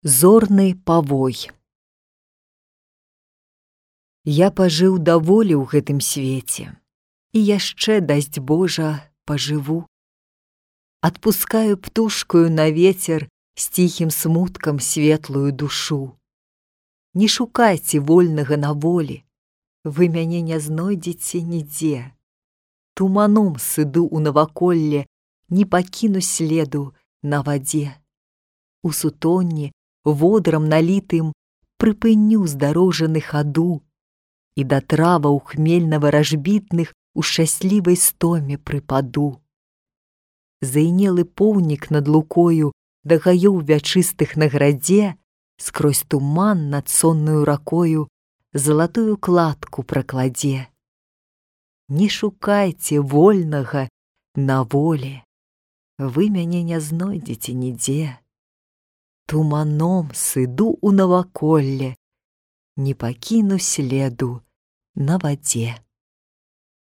Зорны павой. Я пажыў даволі ў гэтым свеце, і яшчэ, дасць Божа, пажыву. Адпускаю птушкаю на вецер з ціхім смуткам светлую душу. Не шукайце вольнага на волі, вы мяне не знойдзеце нідзе. Туманом сыду ў наваколле, не пакіну следу на вадзе. У сутонні, водрам налітым, прыпыню здарожаны хаду, і да траваў хмельна-варажбітных у шчаслівай стоме прыпаду. Зайнелы поўнік над лукою да гаёў вячыстых на градзе, скрозь туман над соннаю ракою залатую кладку пракладзе. Не шукайце вольнага на волі, вы мяне не знойдзеце нідзе. Туманом сыду ў наваколле, не пакіну следу на вадзе.